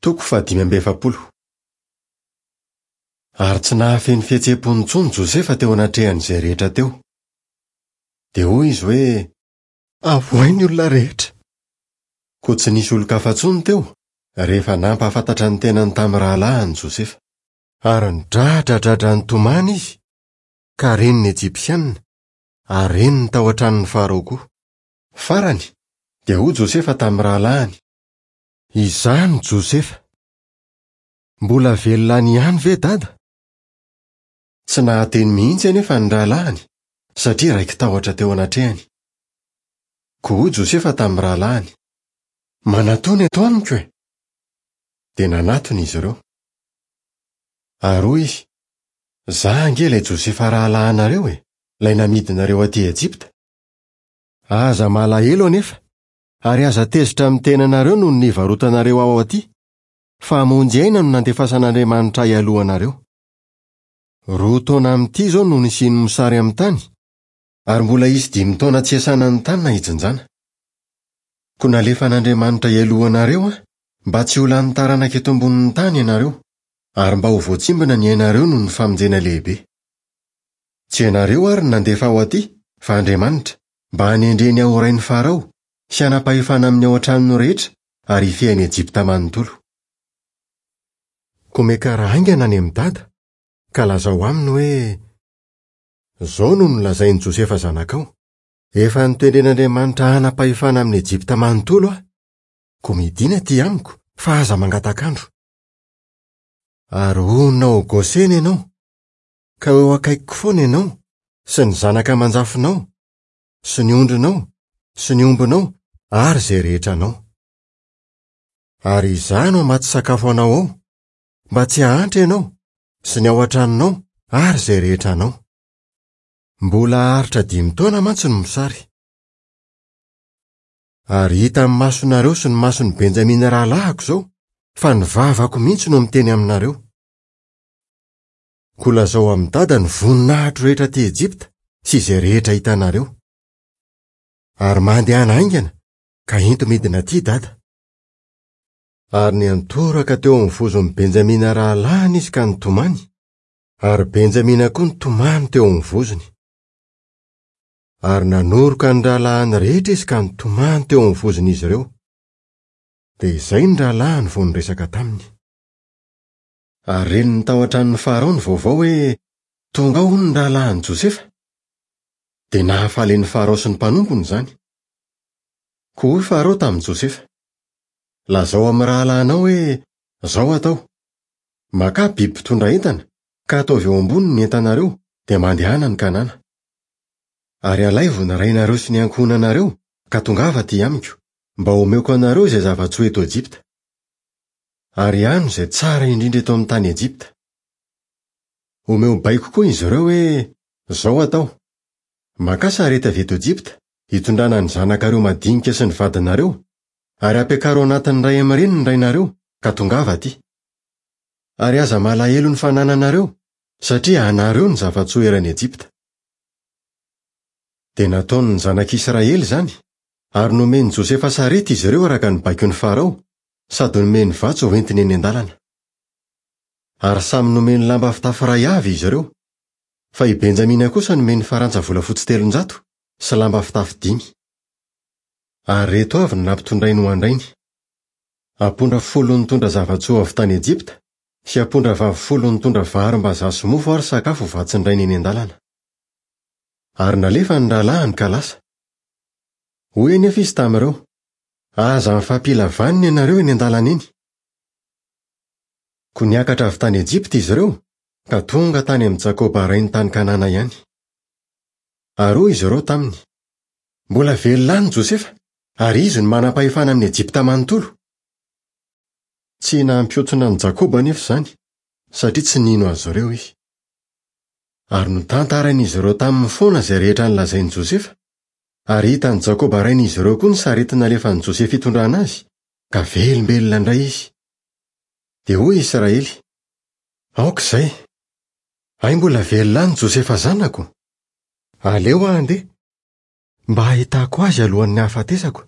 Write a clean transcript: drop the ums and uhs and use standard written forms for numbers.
Toko fahadimy amby efapolo. Ary tsy nahafehy ny fihetseham-pony intsony Josefa teo anatrehan'izay rehetra teo. Dia hoy izy hoe, Avoahy ny olona rehetra. Koa tsy nisy olon-kafa intsony teo, rehefa nampahafantatra ny tenany tamin'ny rahalahiny Josefa. Ary nidradradradra nitomany izy, ka ren'ny Ejipsianina, ary ren'ny tao an-tranon'i Farao koa. Farany, dia hoy Josefa tamin'ny rahalahiny, Izaho no Josefa. Mbola velona any ihany ve Dada? Tsy nahateny mihitsy anefa ny rahalahiny, satria raiki-tahotra teo anatrehany. Koa hoy Josefa tamin'ny rahalahiny, Manatòna eto amiko e! Dia nanatona izy ireo. Ary hoy izy, Izaho ange ilay Josefa rahalahinareo e, ilay namidinareo aty Ejipta. Aza malahelo anefa, ary aza tezitra amin'ny tenanareo noho ny nivarotanareo aho aty, fa hamonjy aina no nandefasan'Andriamanitra ahy alohanareo. Roa taona amin'ity izao no nisian'ny mosary amin'ny tany, ary mbola hisy dimy taona tsy hiasana ny tany na hijinjana. Koa nalefan'Andriamanitra hialoha anareo aho, mba tsy ho lany taranaka eto ambonin'ny tany ianareo, ary mba ho voatsimbina ny ainareo noho ny famonjena lehibe. Tsy ianareo àry no nandefa aho aty, fa Andriamanitra, mba hanendreny ahy ho rain'i Farao, sy hanam-pahefana amin'ny ao an-tranony rehetra ary hifehy an'i Ejipta manontolo. Koa miakara haingana any amin'i Dada, ka lazao aminy hoe, 'Izao no nolazain'i Josefa zanakao, Efa notendren'Andriamanitra hanam-pahefana amin'i Ejipta manontolo aho. Koa midìna atỳ amiko, fa aza mangatak'andro. Ary honina ao Gosena ianao, ka ho eo akaikiko foana ianao, sy ny zanaka aman-jafinao, sy ny ondrinao, sy ny ombinao, ary izay rehetra anao. Ary izaho no hamatsy sakafo anao ao, mba tsy hahantra ianao, sy ny ao an-tranonao, ary izay rehetra anao. Mbola haharitra dimy taona mantsy ny mosary. Ary hitan'ny masonareo sy ny mason'i Benjamina rahalahiko izao, fa ny vavako mihitsy no miteny aminareo. Koa lazao amin'i Dada ny voninahitro rehetra aty Ejipta sy izay rehetra hitanareo. Ary mandehana haingana ka ento midina aty Dada. Ary niantoraka teo amin'ny vozon'i Benjamina rahalahiny izy ka nitomany, ary Benjamina koa nitomany teo amin'ny vozony. Ary nanoroka ny rahalahiny rehetra izy ka nitomany teo amin'ny vozon'izy ireo. Dia izay ny rahalahiny vao niresaka taminy. Ary ren'ny tao an-tranon'i Farao ny vaovao hoe tonga ao hono ny rahalahin'i Josefa. Dia nahafaly an'i Farao sy ny mpanompony izany. Koa hoy Farao tamin'i Josefa, Lazao amin'ny rahalahinao hoe izao atao, Makà biby mpitondra entana, ka ataovy eo amboniny ny entanareo, dia mandehana any Kanana. Ary alaivo ny rainareo sy ny ankohonanareo, ka tongava aty amiko, mba homeko anareo izay zava-tsoa eto Ejipta. Ary hano izay tsara indrindra eto amin'ny tany Ejipta. Omeo baiko koa izy ireo hoe, Izao atao, Makà sarety avy eto Ejipta, hitondrana ny zanakareo madinika sy ny vadinareo, ary ampiakaro anatin'ny iray amin'ireny ny rainareo, ka tongava aty. Ary aza malahelo ny fanananareo, satria anareo ny zava-tsoa eran'i Ejipta. Dia nataon'ny zanak'Israely izany, ary nomen'i Josefa sarety izy ireo araka ny baikon'i Farao, sady nomeny vatsy ho entiny eny an-dalana. Ary samy nomeny lamba fitafy iray avy izy ireo, fa i Benjamina kosa nomeny farantsa volafotsy 300 sy lamba fitafy dimy. Ary ireto avy no nampitondrainy ho an-drainy, ampondra folo nitondra zava-tsoa avy tany Ejipta, sy ampondra vavy folo nitondra varim-bazaha sy mofo ary sakafo ho vatsin-drainy eny an-dalana. Ary nalefa ny rahalahiny ka lasa. Hoy anefa izy tamin'ireo, Aza mifampila vanona ianareo eny an-dalana eny. Koa niakatra avy tany Ejipta izy ireo, ka tonga tany amin'i Jakoba rainy tany Kanana ihany. Ary hoy izy ireo taminy, Mbola velona any Josefa, ary izy no manam-pahefana amin'i Ejipta manontolo. Tsy nampihontsona an'i Jakoba anefa izany, satria tsy nino azy ireo izy. Ary notantarain'izy ireo taminy foana izay rehetra nolazain'i Josefa, Ary hitan'i Jakoba rain'izy ireo koa ny sarety nalefan'i Josefa hitondrana azy, ka velombelona indray izy. Dia hoy Israely, Aoka izay! Hay mbola velona any Josefa zanako! Aleo aho handeha, mba hahitako azy alohan'ny hahafatesako.